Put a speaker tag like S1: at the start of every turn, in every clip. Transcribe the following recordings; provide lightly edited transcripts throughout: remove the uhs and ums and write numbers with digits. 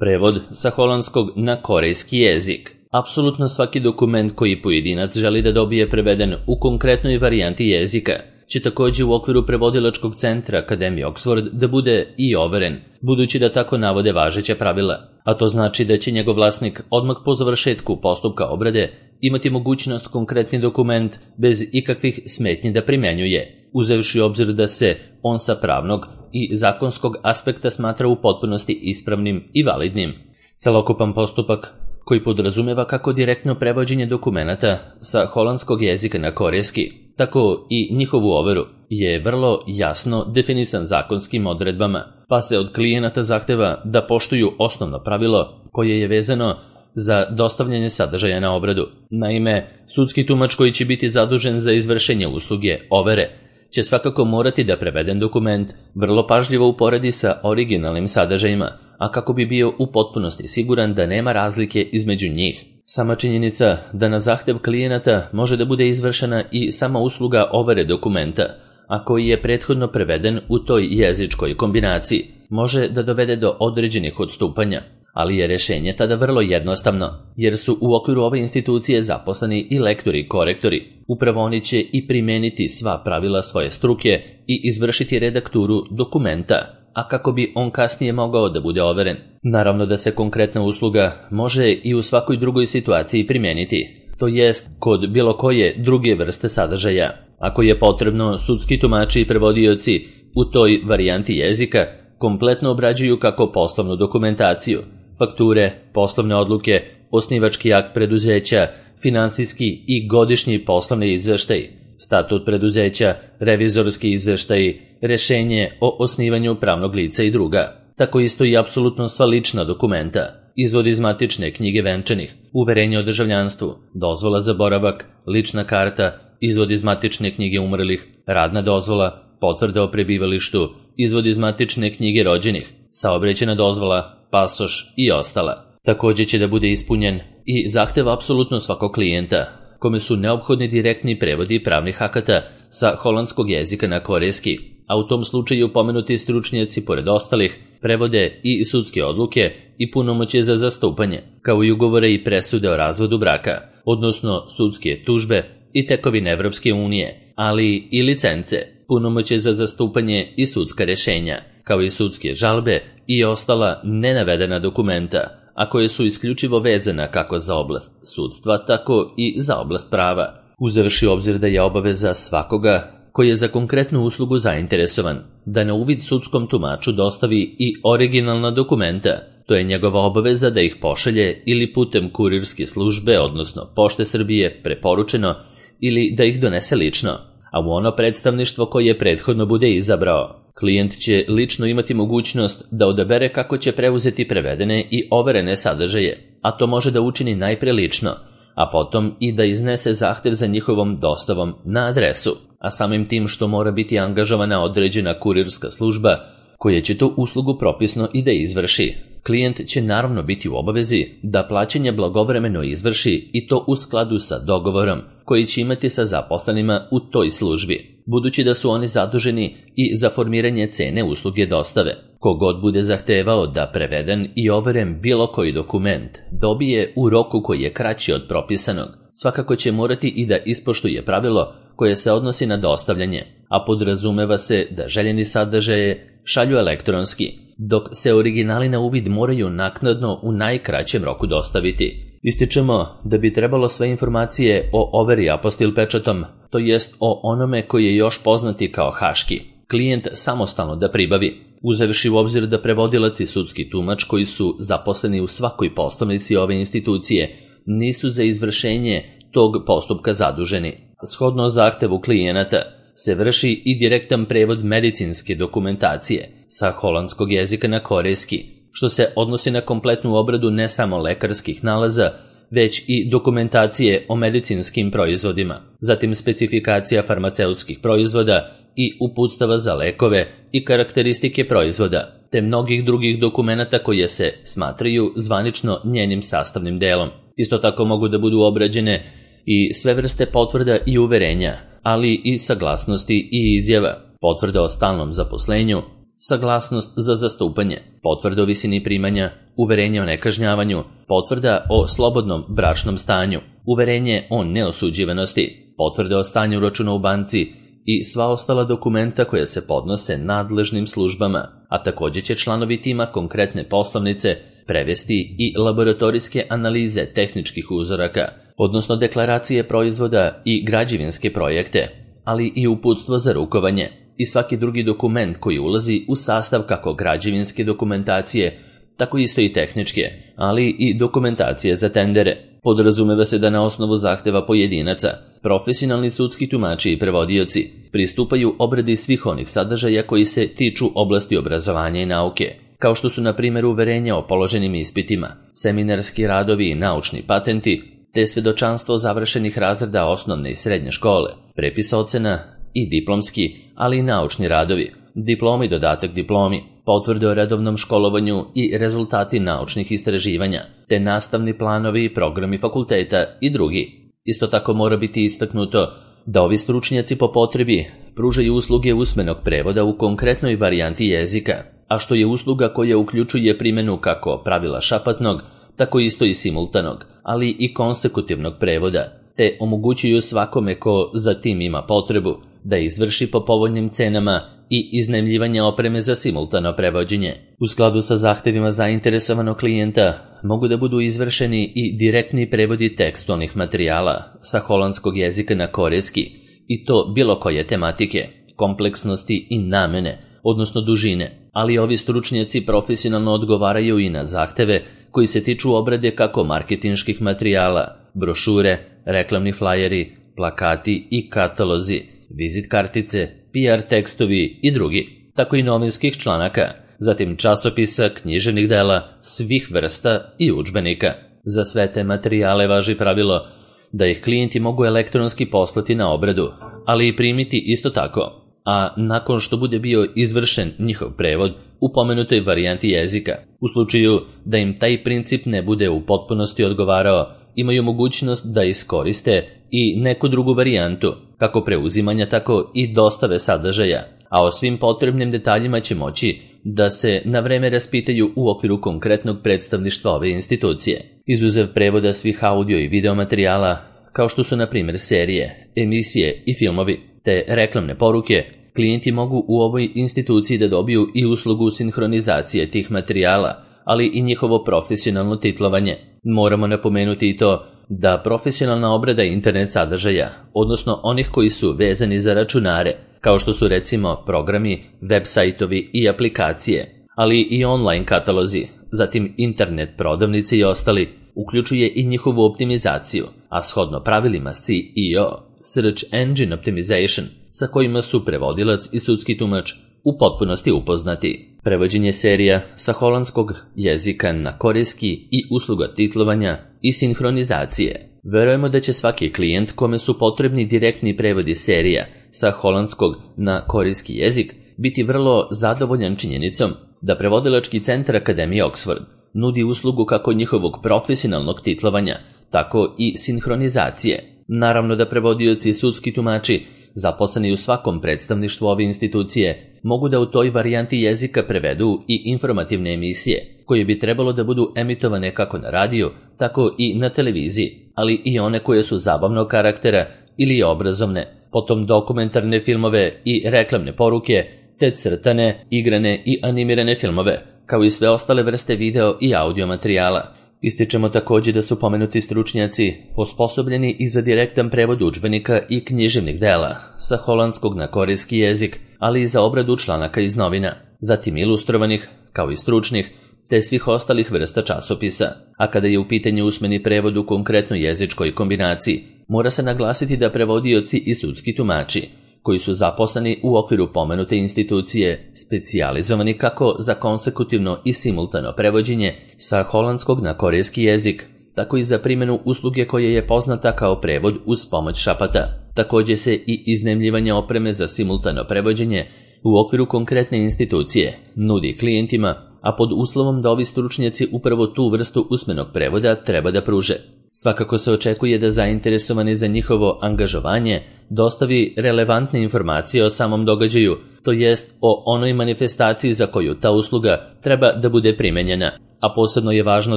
S1: Prevod sa holandskog na korejski jezik. Apsolutno svaki dokument koji pojedinac želi da dobije preveden u konkretnoj varijanti jezika će također u okviru prevodilačkog centra Akademije Oxford da bude i overen, budući da tako navode važeća pravila, a to znači da će njegov vlasnik odmah po završetku postupka obrade imati mogućnost konkretni dokument bez ikakvih smetnji da primjenjuje, uzevši obzir da se on sa pravnog i zakonskog aspekta smatra u potpunosti ispravnim i validnim. Celokupan postupak, koji podrazumeva kako direktno prevođenje dokumenata sa holandskog jezika na korejski, tako i njihovu overu, je vrlo jasno definisan zakonskim odredbama, pa se od klijenata zahteva da poštuju osnovno pravilo koje je vezano za dostavljanje sadržaja na obradu. Naime, sudski tumač koji će biti zadužen za izvršenje usluge overe će svakako morati da preveden dokument vrlo pažljivo uporedi sa originalnim sadržajima, a kako bi bio u potpunosti siguran da nema razlike između njih. Sama činjenica da na zahtev klijenata može da bude izvršena i sama usluga overe dokumenta, a koji je prethodno preveden u toj jezičkoj kombinaciji, može da dovede do određenih odstupanja, ali je rešenje tada vrlo jednostavno, jer su u okviru ove institucije zaposleni i lektori i korektori. Upravo oni će i primeniti sva pravila svoje struke i izvršiti redakturu dokumenta, a kako bi on kasnije mogao da bude overen. Naravno da se konkretna usluga može i u svakoj drugoj situaciji primijeniti, to jest kod bilo koje druge vrste sadržaja. Ako je potrebno, sudski tumači i prevodioci u toj varijanti jezika kompletno obrađuju kako poslovnu dokumentaciju, fakture, poslovne odluke, osnivački akt preduzeća, finansijski i godišnji poslovni izveštaj, statut preduzeća, revizorski izveštaj, rešenje o osnivanju pravnog lica i druga. Tako isto i apsolutno sva lična dokumenta, izvod iz matične knjige venčanih, uverenje o državljanstvu, dozvola za boravak, lična karta, izvod iz matične knjige umrlih, radna dozvola, potvrda o prebivalištu, izvod iz matične knjige rođenih, saobraćajna dozvola, pasoš i ostala. Također će da bude ispunjen i zahtev apsolutno svakog klijenta, kome su neophodni direktni prevodi pravnih akata sa holandskog jezika na korejski, a u tom slučaju pomenuti stručnjaci pored ostalih prevode i sudske odluke i punomoćje za zastupanje, kao i ugovore i presude o razvodu braka, odnosno sudske tužbe i tekovine Evropske unije, ali i licence, punomoćje za zastupanje i sudska rešenja, kao i sudske žalbe i ostala nenavedena dokumenta, a koje su isključivo vezana kako za oblast sudstva, tako i za oblast prava, uzevši obzir da je obaveza svakoga koji je za konkretnu uslugu zainteresovan da na uvid sudskom tumaču dostavi i originalna dokumenta. To je njegova obaveza da ih pošalje ili putem kurirske službe, odnosno Pošte Srbije, preporučeno, ili da ih donese lično, a u ono predstavništvo koje prethodno bude izabrao. Klijent će lično imati mogućnost da odabere kako će preuzeti prevedene i overene sadržaje, a to može da učini najpre lično, a potom i da iznese zahtev za njihovom dostavom na adresu, a samim tim što mora biti angažovana određena kurirska služba koja će tu uslugu propisno i da izvrši. Klijent će naravno biti u obavezi da plaćanje blagovremeno izvrši i to u skladu sa dogovorom koji će imati sa zaposlenima u toj službi, budući da su oni zaduženi i za formiranje cene usluge dostave. Kogod bude zahtevao da preveden i overen bilo koji dokument dobije u roku koji je kraći od propisanog, svakako će morati i da ispoštuje pravilo koje se odnosi na dostavljanje, a podrazumeva se da željeni sadržaje šalju elektronski, dok se originali na uvid moraju naknadno u najkraćem roku dostaviti. Ističemo da bi trebalo sve informacije o overi apostil pečatom, to jest o onome koji je još poznati kao haški, klijent samostalno da pribavi, uzevši u obzir da prevodilac i sudski tumač koji su zaposleni u svakoj poslovnici ove institucije nisu za izvršenje tog postupka zaduženi. Shodno zahtevu klijenata se vrši i direktan prevod medicinske dokumentacije sa holandskog jezika na korejski, što se odnosi na kompletnu obradu ne samo lekarskih nalaza, već i dokumentacije o medicinskim proizvodima, zatim specifikacija farmaceutskih proizvoda i uputstava za lekove i karakteristike proizvoda, te mnogih drugih dokumenata koje se smatraju zvanično njenim sastavnim delom. Isto tako mogu da budu obrađene i sve vrste potvrda i uverenja, ali i saglasnosti i izjava, potvrda o stalnom zaposlenju, saglasnost za zastupanje, potvrda o visini primanja, uverenje o nekažnjavanju, potvrda o slobodnom bračnom stanju, uverenje o neosuđivanosti, potvrda o stanju računa u banci i sva ostala dokumenta koja se podnose nadležnim službama, a također će članovi tima konkretne poslovnice prevesti i laboratorijske analize tehničkih uzoraka, odnosno deklaracije proizvoda i građevinske projekte, ali i uputstvo za rukovanje i svaki drugi dokument koji ulazi u sastav kako građevinske dokumentacije, tako isto i tehničke, ali i dokumentacije za tendere. Podrazumeva se da na osnovu zahteva pojedinaca, profesionalni sudski tumači i prevodioci pristupaju obradi svih onih sadržaja koji se tiču oblasti obrazovanja i nauke, kao što su na primjer uverenja o položenim ispitima, seminarski radovi i naučni patenti, te svedočanstvo završenih razreda osnovne i srednje škole, prepis ocena i diplomski, ali i naučni radovi, diplomi, dodatak diplomi, potvrde o redovnom školovanju i rezultati naučnih istraživanja, te nastavni planovi i programi fakulteta i drugi. Isto tako mora biti istaknuto da ovi stručnjaci po potrebi pružaju usluge usmenog prevoda u konkretnoj varijanti jezika, a što je usluga koja uključuje primjenu kako pravila šapatnog, tako isto i simultanog, ali i konsekutivnog prevoda, te omogućuju svakome ko za tim ima potrebu da izvrši po povoljnim cenama i iznajmljivanje opreme za simultano prevođenje. U skladu sa zahtevima zainteresovanog klijenta mogu da budu izvršeni i direktni prevodi tekstualnih materijala sa holandskog jezika na korejski, i to bilo koje tematike, kompleksnosti i namene, odnosno dužine, ali ovi stručnjaci profesionalno odgovaraju i na zahteve koji se tiču obrade kako marketinških materijala, brošure, reklamni flajeri, plakati i katalozi, vizit kartice, PR tekstovi i drugi, tako i novinskih članaka, zatim časopisa, književnih dela, svih vrsta i udžbenika. Za sve te materijale važi pravilo da ih klijenti mogu elektronski poslati na obradu, ali i primiti isto tako, a nakon što bude bio izvršen njihov prevod u pomenutoj varijanti jezika. U slučaju da im taj princip ne bude u potpunosti odgovarao, imaju mogućnost da iskoriste i neku drugu varijantu, kako preuzimanja, tako i dostave sadržaja, a o svim potrebnim detaljima će moći da se na vreme raspitaju u okviru konkretnog predstavništva ove institucije. Izuzev prevoda svih audio i video materijala, kao što su na primjer serije, emisije i filmovi, te reklamne poruke, klijenti mogu u ovoj instituciji da dobiju i uslugu sinhronizacije tih materijala, ali i njihovo profesionalno titlovanje. Moramo napomenuti i to da profesionalna obrada internet sadržaja, odnosno onih koji su vezani za računare, kao što su recimo programi, web sajtovi i aplikacije, ali i online katalozi, zatim internet prodavnice i ostali, uključuje i njihovu optimizaciju, a shodno pravilima SEO, Search Engine Optimization, sa kojima su prevodilac i sudski tumač u potpunosti upoznati. Prevođenje serija sa holandskog jezika na korejski i usluga titlovanja i sinhronizacije. Verujemo da će svaki klijent kome su potrebni direktni prevodi serija sa holandskog na korejski jezik biti vrlo zadovoljan činjenicom da prevodilački centar Akademije Oxford nudi uslugu kako njihovog profesionalnog titlovanja, tako i sinhronizacije. Naravno da prevodioci i sudski tumači zaposleni u svakom predstavništvu ove institucije mogu da u toj varijanti jezika prevedu i informativne emisije, koje bi trebalo da budu emitovane kako na radiju, tako i na televiziji, ali i one koje su zabavnog karaktera ili obrazovne, potom dokumentarne filmove i reklamne poruke, te crtane, igrane i animirane filmove, kao i sve ostale vrste video i audio materijala. Ističemo također da su pomenuti stručnjaci osposobljeni i za direktan prevod udžbenika i književnih dela sa holandskog na korejski jezik, ali i za obradu članaka iz novina, zatim ilustrovanih, kao i stručnih, te svih ostalih vrsta časopisa. A kada je u pitanju usmeni prevod u konkretnoj jezičkoj kombinaciji, mora se naglasiti da prevodioci i sudski tumači, koji su zaposleni u okviru pomenute institucije, specijalizovani kako za konsekutivno i simultano prevođenje sa holandskog na korejski jezik, tako i za primjenu usluge koje je poznata kao prevod uz pomoć šapata. Također se i iznajmljivanje opreme za simultano prevođenje u okviru konkretne institucije nudi klijentima, a pod uslovom da ovi stručnjaci upravo tu vrstu usmenog prevoda treba da pruže. Svakako se očekuje da zainteresovani za njihovo angažovanje dostavi relevantne informacije o samom događaju, to jest o onoj manifestaciji za koju ta usluga treba da bude primenjena, a posebno je važno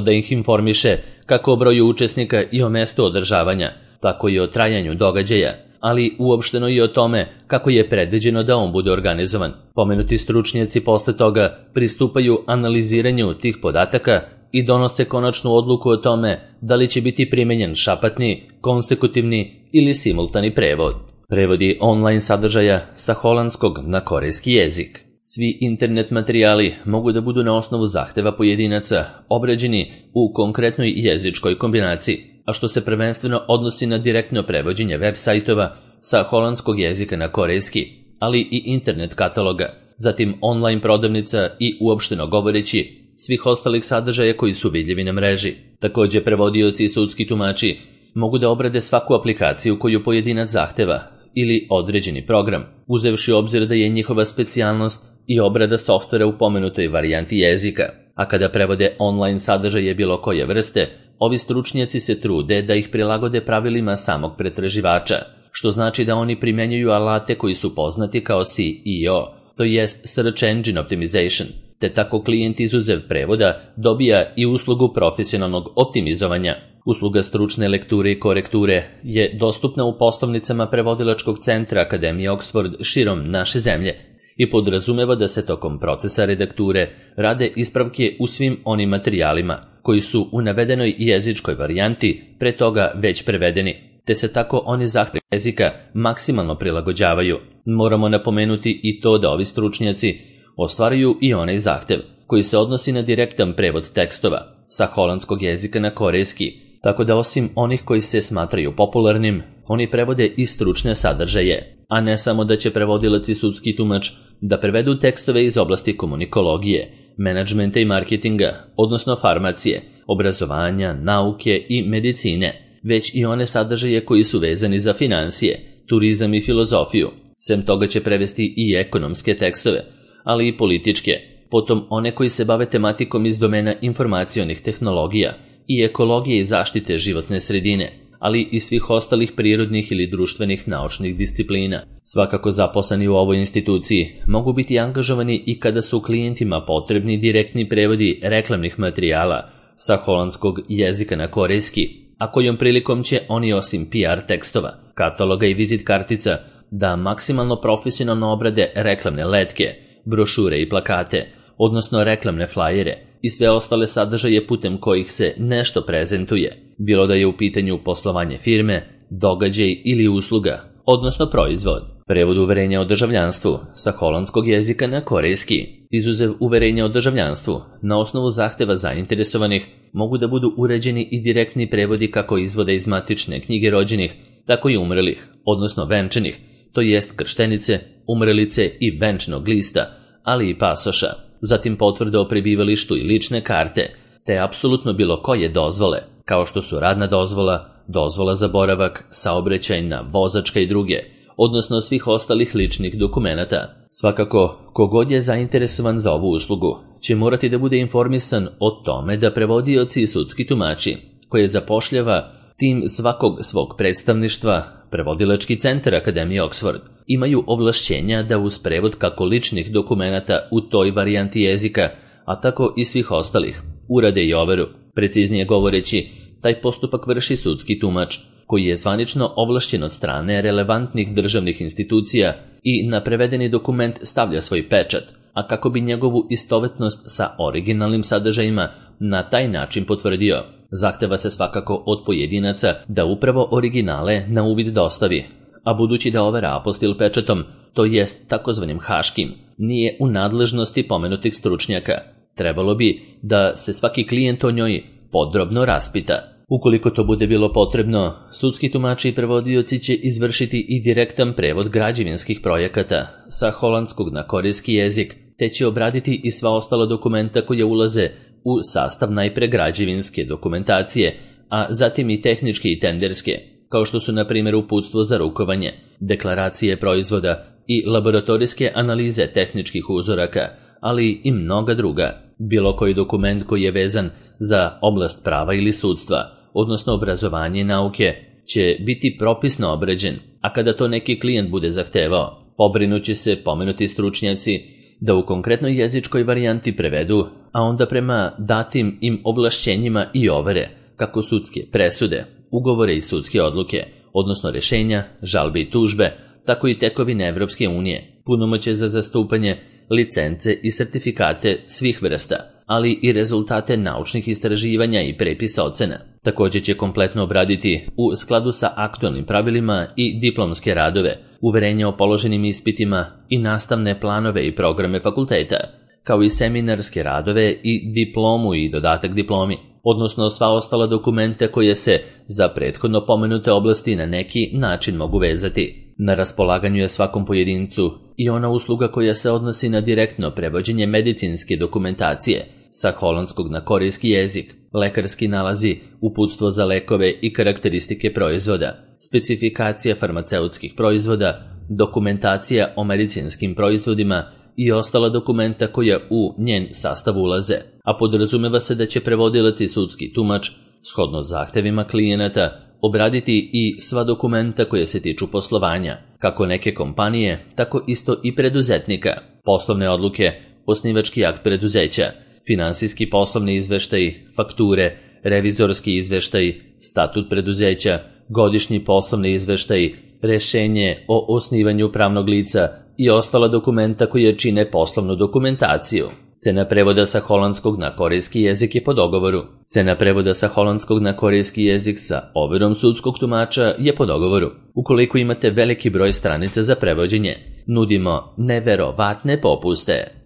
S1: da ih informiše kako o broju učesnika i o mestu održavanja, tako i o trajanju događaja, ali uopšteno i o tome kako je predviđeno da on bude organizovan. Pomenuti stručnjaci posle toga pristupaju analiziranju tih podataka i donose konačnu odluku o tome da li će biti primenjen šapatni, konsekutivni ili simultani prevod. Prevodi online sadržaja sa holandskog na korejski jezik. Svi internet materijali mogu da budu na osnovu zahteva pojedinaca obrađeni u konkretnoj jezičkoj kombinaciji, a što se prvenstveno odnosi na direktno prevođenje web sajtova sa holandskog jezika na korejski, ali i internet kataloga, zatim online prodavnica i uopšteno govoreći svih ostalih sadržaja koji su vidljivi na mreži. Takođe, prevodioci i sudski tumači mogu da obrade svaku aplikaciju koju pojedinac zahteva ili određeni program, uzevši u obzir da je njihova specijalnost i obrada softvera u pomenutoj varijanti jezika. A kada prevode online sadržaje bilo koje vrste, ovi stručnjaci se trude da ih prilagode pravilima samog pretraživača, što znači da oni primenjuju alate koji su poznati kao SEO, to jest Search Engine Optimization, te tako klijent izuzev prevoda dobija i uslugu profesionalnog optimizovanja. Usluga stručne lekture i korekture je dostupna u poslovnicama prevodilačkog centra Akademije Oxford širom naše zemlje i podrazumeva da se tokom procesa redakture rade ispravke u svim onim materijalima koji su u navedenoj jezičkoj varijanti pre toga već prevedeni, te se tako oni zahtevi jezika maksimalno prilagođavaju. Moramo napomenuti i to da ovi stručnjaci ostvaruju i onaj zahtev koji se odnosi na direktan prevod tekstova sa holandskog jezika na korejski, tako da osim onih koji se smatraju popularnim, oni prevode i stručne sadržaje, a ne samo da će prevodilac i sudski tumač da prevedu tekstove iz oblasti komunikologije, menadžmenta i marketinga, odnosno farmacije, obrazovanja, nauke i medicine, već i one sadržaje koji su vezani za finansije, turizam i filozofiju. Sem toga će prevesti i ekonomske tekstove, ali i političke, potom one koji se bave tematikom iz domena informacionih tehnologija i ekologije i zaštite životne sredine, ali i svih ostalih prirodnih ili društvenih naučnih disciplina. Svakako zaposleni u ovoj instituciji mogu biti angažovani i kada su klijentima potrebni direktni prevodi reklamnih materijala sa holandskog jezika na korejski, a kojom prilikom će oni osim PR tekstova, kataloga i vizit kartica da maksimalno profesionalno obrade reklamne letke, brošure i plakate, odnosno reklamne flajere i sve ostale sadržaje putem kojih se nešto prezentuje, bilo da je u pitanju poslovanje firme, događaj ili usluga, odnosno proizvod. Prevod uverenja o državljanstvu sa holandskog jezika na korejski. Izuzev uverenja o državljanstvu, na osnovu zahteva zainteresovanih mogu da budu uređeni i direktni prevodi kako izvoda iz matične knjige rođenih, tako i umrelih, odnosno venčanih, to jest krštenice, umrelice i venčnog lista, ali i pasoša, zatim potvrde o prebivalištu i lične karte, te apsolutno bilo koje dozvole, kao što su radna dozvola, dozvola za boravak, saobraćajna, vozačka i druge, odnosno svih ostalih ličnih dokumenata. Svakako, kogod je zainteresovan za ovu uslugu, će morati da bude informisan o tome da prevodioci i sudski tumači, koje zapošljava tim svakog svog predstavništva, prevodilački centar Akademije Oxford, imaju ovlašćenja da uz prevod kako ličnih dokumenata u toj varijanti jezika, a tako i svih ostalih, urade i overu. Preciznije govoreći, taj postupak vrši sudski tumač, koji je zvanično ovlašćen od strane relevantnih državnih institucija i na prevedeni dokument stavlja svoj pečat, a kako bi njegovu istovetnost sa originalnim sadržajima na taj način potvrdio, zahteva se svakako od pojedinaca da upravo originale na uvid dostavi, a budući da overa apostil pečatom, to jest takozvanim haškim, nije u nadležnosti pomenutih stručnjaka, trebalo bi da se svaki klijent o njoj podrobno raspita. Ukoliko to bude bilo potrebno, sudski tumači i prevodioci će izvršiti i direktan prevod građevinskih projekata sa holandskog na korejski jezik, te će obraditi i sva ostala dokumenta koje ulaze u sastav najpre građevinske dokumentacije, a zatim i tehničke i tenderske, kao što su na primjer uputstvo za rukovanje, deklaracije proizvoda i laboratorijske analize tehničkih uzoraka, ali i mnoga druga. Bilo koji dokument koji je vezan za oblast prava ili sudstva, odnosno obrazovanje i nauke, će biti propisno obrađen, a kada to neki klijent bude zahtevao, pobrinuće se pomenuti stručnjaci da u konkretnoj jezičkoj varijanti prevedu, a onda prema datim im ovlašćenjima i overe, kako sudske presude, ugovore i sudske odluke, odnosno rešenja, žalbe i tužbe, tako i tekovine Evropske unije, punomoćje za zastupanje, licence i sertifikate svih vrsta, ali i rezultate naučnih istraživanja i prepisa ocena. Također će kompletno obraditi u skladu sa aktualnim pravilima i diplomske radove, uverenja o položenim ispitima i nastavne planove i programe fakulteta, kao i seminarske radove i diplomu i dodatak diplomi, odnosno sva ostala dokumenta koje se za prethodno pomenute oblasti na neki način mogu vezati. Na raspolaganju je svakom pojedincu i ona usluga koja se odnosi na direktno prevođenje medicinske dokumentacije sa holandskog na korejski jezik, lekarski nalazi, uputstvo za lekove i karakteristike proizvoda, specifikacija farmaceutskih proizvoda, dokumentacija o medicinskim proizvodima i ostala dokumenta koja u njen sastav ulaze, a podrazumeva se da će prevodilac i sudski tumač, shodno zahtevima klijenata, obraditi i sva dokumenta koje se tiču poslovanja, kako neke kompanije, tako isto i preduzetnika, poslovne odluke, osnivački akt preduzeća, finansijski poslovni izveštaj, fakture, revizorski izveštaj, statut preduzeća, godišnji poslovni izveštaj, rešenje o osnivanju pravnog lica i ostala dokumenta koje čine poslovnu dokumentaciju. Cena prevoda sa holandskog na korejski jezik je po dogovoru. Cena prevoda sa holandskog na korejski jezik sa overom sudskog tumača je po dogovoru. Ukoliko imate veliki broj stranica za prevođenje, nudimo neverovatne popuste.